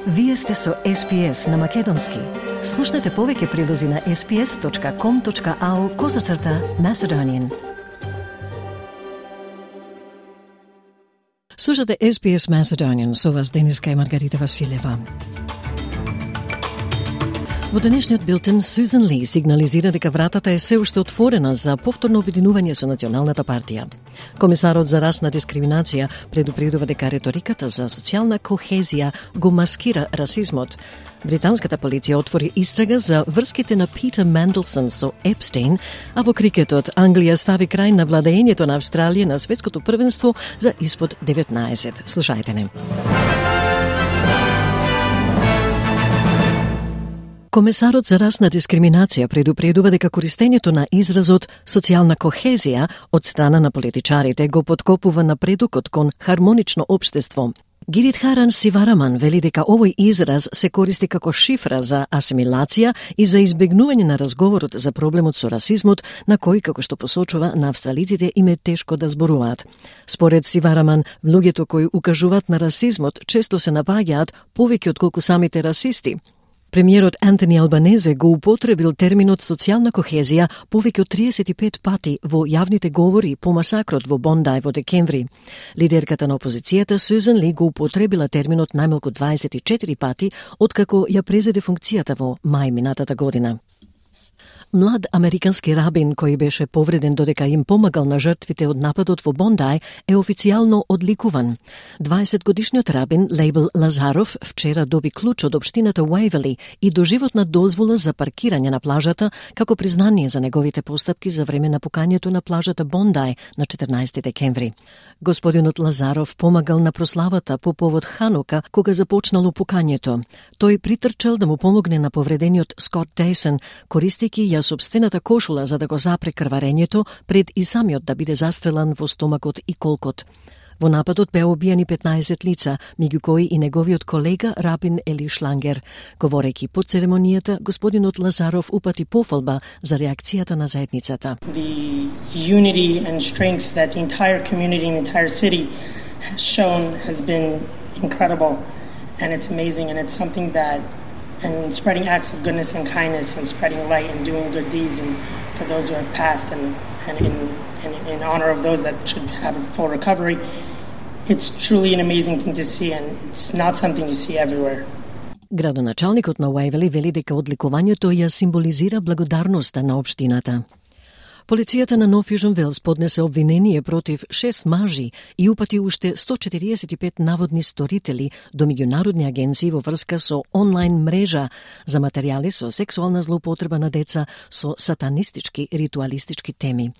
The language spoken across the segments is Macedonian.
Вие сте со SPS на Македонски. Слушнете повеќе прилози на sps.com.au/Macedonian. Слушате SPS Macedonian, со вас Дениска и Маргарита Василева. Во денешниот билтен, Сюзан Ли сигнализира дека вратата е се уште отворена за повторно обединување со Националната партија. Комесарот за расна дискриминација предупредува дека реториката за социјална кохезија го маскира расизмот. Британската полиција отвори истрага за врските на Питер Менделсон со Епстейн, а во крикетот Англија стави крај на владеењето на Австралија на светското првенство за испод 19. Слушајте не. Комесарот за расна дискриминација предупредува дека користењето на изразот социјална кохезија од страна на политичарите го поткопува напредокот кон хармонично општество. Гиридхаран Сивараман вели дека овој израз се користи како шифра за асимилација и за избегнување на разговорот за проблемот со расизмот, на кој, како што посочува, на австралиците им е тешко да зборуваат. Според Сивараман, луѓето кои укажуваат на расизмот често се напаѓаат повеќе отколку самите расисти. Премиерот Антони Албанезе го употребил терминот социјална кохезија повеќе од 35 пати во јавните говори по масакрот во Бондај во декември. Лидерката на опозицијата Сюзан Ли го употребила терминот најмалку 24 пати откако ја презеде функцијата во мај минатата година. Млад американски рабин кој беше повреден додека им помагал на жртвите од нападот во Бондај е официјално одликуван. 20-годишниот рабин Лейбл Лазаров вчера доби клуч од општината Уейвели и доживотна дозвола за паркирање на плажата како признание за неговите постапки за време на пукањето на плажата Бондај на 14 декември. Господинот Лазаров помагал на прославата по повод Ханука кога започнало пукањето. Тој притрчал да му помогне на повредениот Скот Дейсон, користејќи ја собствената кошула за да го запре крварењето пред и самиот да биде застрелан во стомакот и колкот. Во нападот беа убиени 15 лица, меѓу кои и неговиот колега рабин Ели Шлангер. Говорејќи по церемонијата, господинот Лазаров упати пофалба за реакцијата на заедницата. The unity and strength that the entire community and the entire city has shown has been incredible, and it's amazing, and it's something that and spreading acts of goodness and kindness and spreading light and doing good deeds and for those who have passed and in honor of those that should have a full recovery. It's truly an amazing thing to see, and it's not something you see everywhere. Градоначалникот на Уейвели вели дека одликувањето ја символизира благодарноста на општината. Полицијата на Нов Јужен Велс поднесе обвинение против 6 мажи и упати уште 145 наводни сторители до меѓународни агенции во врска со онлайн мрежа за материјали со сексуална злоупотреба на деца со сатанистички ритуалистички теми.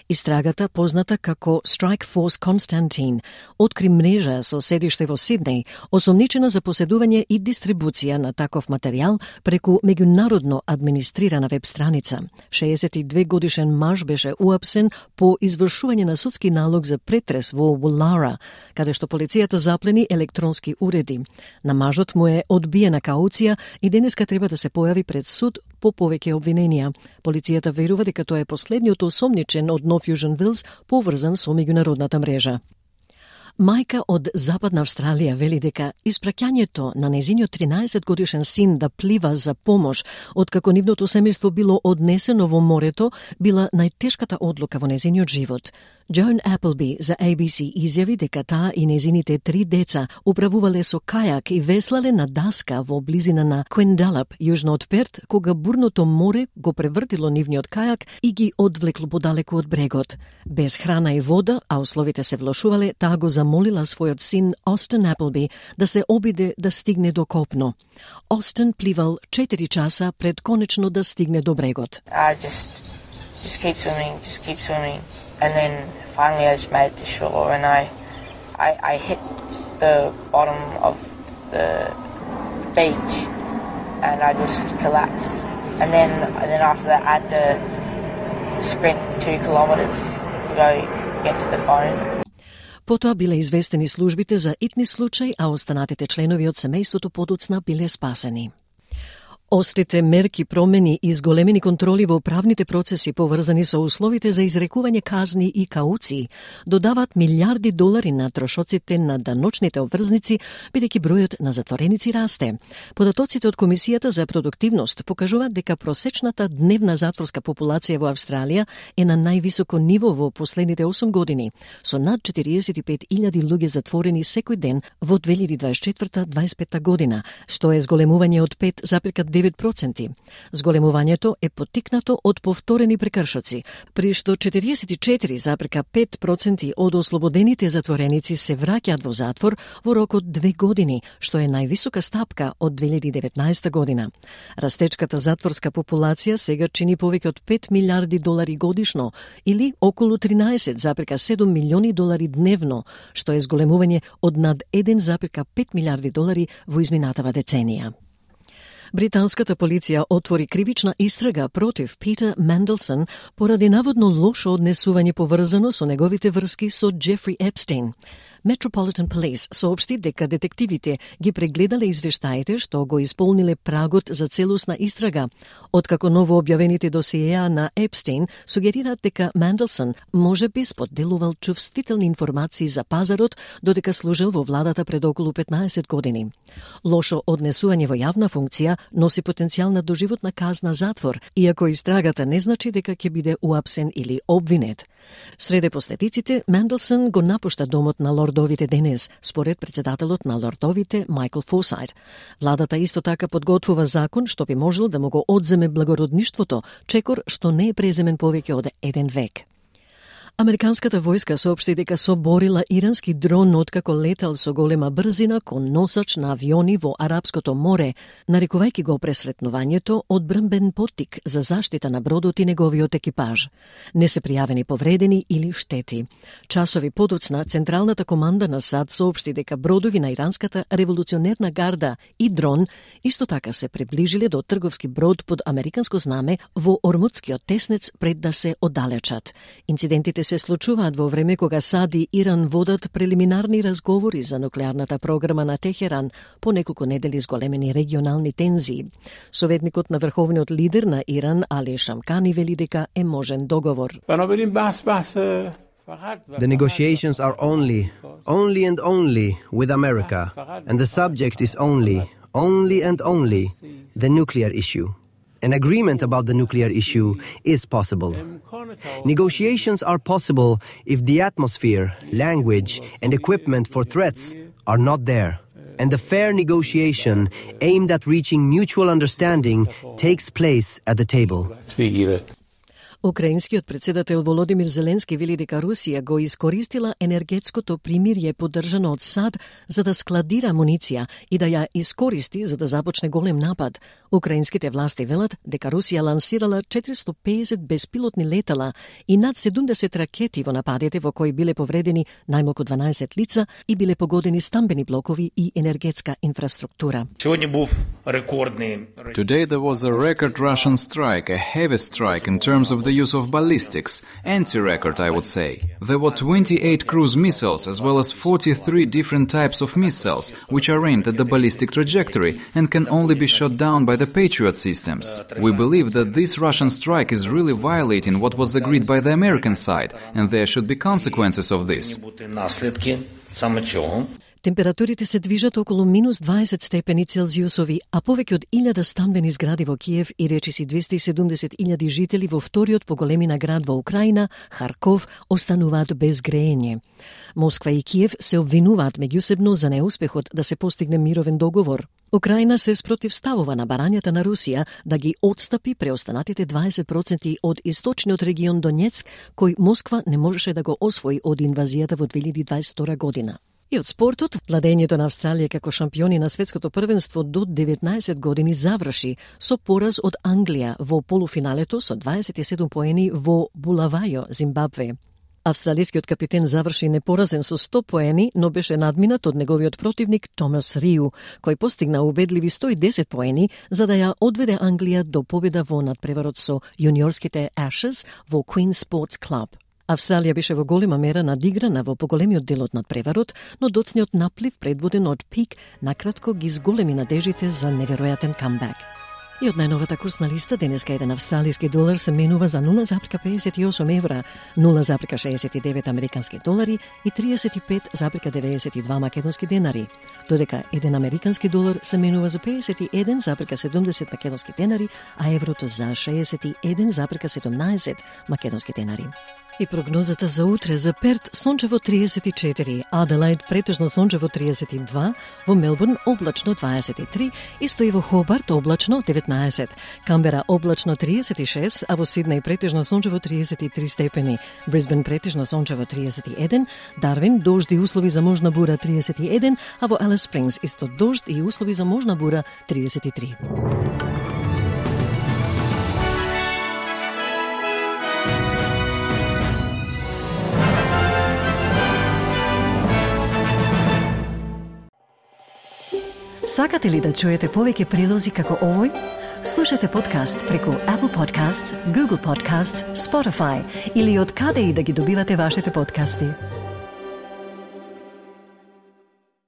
Истрагата, позната како Strike Force Constantine, откри мрежа со седиште во Сиднеј, осомничена за поседување и дистрибуција на таков материјал преку меѓународно администрирана веб страница. 62 годишен маж беше уапсен по извршување на судски налог за претрес во Woollahra, каде што полицијата заплени електронски уреди. На мажот му е одбиена кауција и денеска треба да се појави пред суд по повеќе обвиненија. Полицијата верува дека тоа е последниот осомничен од Нов Јужен Велс поврзан со меѓународната мрежа. Мајка од Западна Австралија вели дека испраќањето на нејзиниот 13-годишен син да плива за помош, откако нивното семејство било однесено во морето, била најтешката одлука во нејзиниот живот. Джон Appleby за ABC изјави дека таа и нејзините 3 деца управувале со кајак и веслале на даска во близина на Quendalap, јужно од Перт, кога бурното море го превртило нивниот кајак и ги одвлекло подалеку од брегот. Без храна и вода, а условите се влошувале, таа го замолила својот син Остен Appleby да се обиде да стигне до копно. Остен пливал 4 часа пред конечно да стигне до брегот. Just keep swimming. And then finally I just made it to shore, and I hit the bottom of the beach and I just collapsed. And then after that I had to sprint 2 kilometers to go get to the phone. Потоа биле известени службите за итни случај, а останатите членови од семејството подоцна биле спасени. Острите мерки, промени и зголемени контроли во правните процеси поврзани со условите за изрекување казни и кауции додават милиарди долари на трошоците на даночните обврзници, бидејќи бројот на затвореници расте. Податоците од Комисијата за продуктивност покажуваат дека просечната дневна затворска популација во Австралија е на највисоко ниво во последните 8 години, со над 45.000 луѓе затворени секој ден во 2024-25 година, што е зголемување од 5,9%. Зголемувањето е поттикнато од повторени прекршоци, при што 44,5% од ослободените затвореници се враќаат во затвор во рок од 2 години, што е највисока стапка од 2019 година. Растечката затворска популација сега чини повеќе од 5 милиарди долари годишно, или околу 13,7 милиони долари дневно, што е зголемување од над 1,5 милиарди долари во изминатава деценија. Британската полиција отвори кривична истрага против Питер Менделсон поради наводно лошо однесување поврзано со неговите врски со Джефри Епстейн. Metropolitan Police соопшти дека детективите ги прегледале извештаите што го исполниле прагот за целосна истрага, откако ново објавените досиеа на Епстейн сугерираат дека Менделсон може би споделувал чувствителни информации за пазарот додека служел во владата пред околу 15 години. Лошо однесување во јавна функција носи потенцијал на доживотна казна затвор, иако истрагата не значи дека ќе биде уапсен или обвинет. Среде последиците, Менделсон го напушта домот на лордовите денес, според председателот на лордовите Майкл Форсайт. Владата исто така подготвува закон што би можел да му го одземе благородништвото, чекор што не е преземен повеќе од 1 век. Американската војска соопшти дека соборила ирански дрон откако летал со голема брзина кон носач на авиони во Арапското море, нарекувајќи го пресретнувањето одбранбен поттик за заштита на бродот и неговиот екипаж. Не се пријавени повредени или штети. Часови подоцна, Централната команда на САД соопшти дека бродови на иранската револуционерна гарда и дрон исто така се приближиле до трговски брод под американско знаме во Ормудскиот теснец пред да се оддалечат. Инцидентите се случуваат во време кога САД и Иран водат прелиминарни разговори за нуклеарната програма на Техеран по неколку недели зголемени регионални тензии. Советникот на врховниот лидер на Иран, Али Шамкани, вели дека е можен договор. The negotiations are only and only with America, and the subject is only and only the nuclear issue. An agreement about the nuclear issue is possible. Negotiations are possible if the atmosphere, language, and equipment for threats are not there, and the fair negotiation aimed at reaching mutual understanding takes place at the table. Украинскиот председател Володимир Зеленски вели дека Русија го искористила енергетското примирје поддржано од САД за да складира амуниција и да ја искористи за да започне голем напад. Украинските власти велат дека Русија лансирала 450 беспилотни летала и над 70 ракети во нападите во кои биле повредени најмалку 12 лица и биле погодени стамбени блокови и енергетска инфраструктура. Today there was a record Russian strike, a heavy strike in terms of the use of ballistics, anti-record I would say. There were 28 cruise missiles as well as 43 different types of missiles which are aimed at the ballistic trajectory and can only be shot down by the Patriot systems. We believe that this Russian strike is really violating what was agreed by the American side and there should be consequences of this. Температурите се движат околу минус 20 степени Целзиусови, а повеќе од 1000 стамбени згради во Киев и речиси 270.000 жители во вториот по големина град во Украина, Харков, остануваат без греење. Москва и Киев се обвинуваат меѓусебно за неуспехот да се постигне мировен договор. Украина се спротивставува на барањата на Русија да ги отстапи преостанатите 20% од источниот регион Донецк, кој Москва не можеше да го освои од инвазијата во 2022 година. И од спортот, владењето на Австралија како шампиони на светското првенство до 19 години заврши со пораз од Англија во полуфиналето со 27 поени во Булавајо, Зимбабве. Австралискиот капитен заврши непоразен со 100 поени, но беше надминат од неговиот противник Томас Риу, кој постигна убедливи 110 поени за да ја одведе Англија до победа во надпреварот со јуниорските Ashes во Queen Sports Club. Австралија беше во голема мера надиграна во поголемиот дел од надпреварот, но доцниот наплив предводен од Пик накратко ги зголеми надежите за неверојатен камбек. И од најновата курсна листа, денеска еден австралиски долар се менува за 0,58 евра, 0,69 американски долари и 35,92 македонски денари, додека еден американски долар се менува за 51,70 македонски денари, а еврото за 61,17 македонски денари. И прогнозата за утре: за Перт сончево 34, Аделаид претежно сончево 32, во Мелбурн облачно 23, исто и во Хобарт облачно 19, Камбера облачно 36, а во Сиднеј претежно сончево 33 степени, Брисбен претежно сончево 31, Дарвин дожд и услови за можна бура 31, а во Алис Спрингс исто дожд и услови за можна бура 33. Сакате ли да чуете повеќе прилози како овој? Слушате подкаст преку Apple Podcasts, Google Podcasts, Spotify или од каде и да ги добивате вашите подкасти.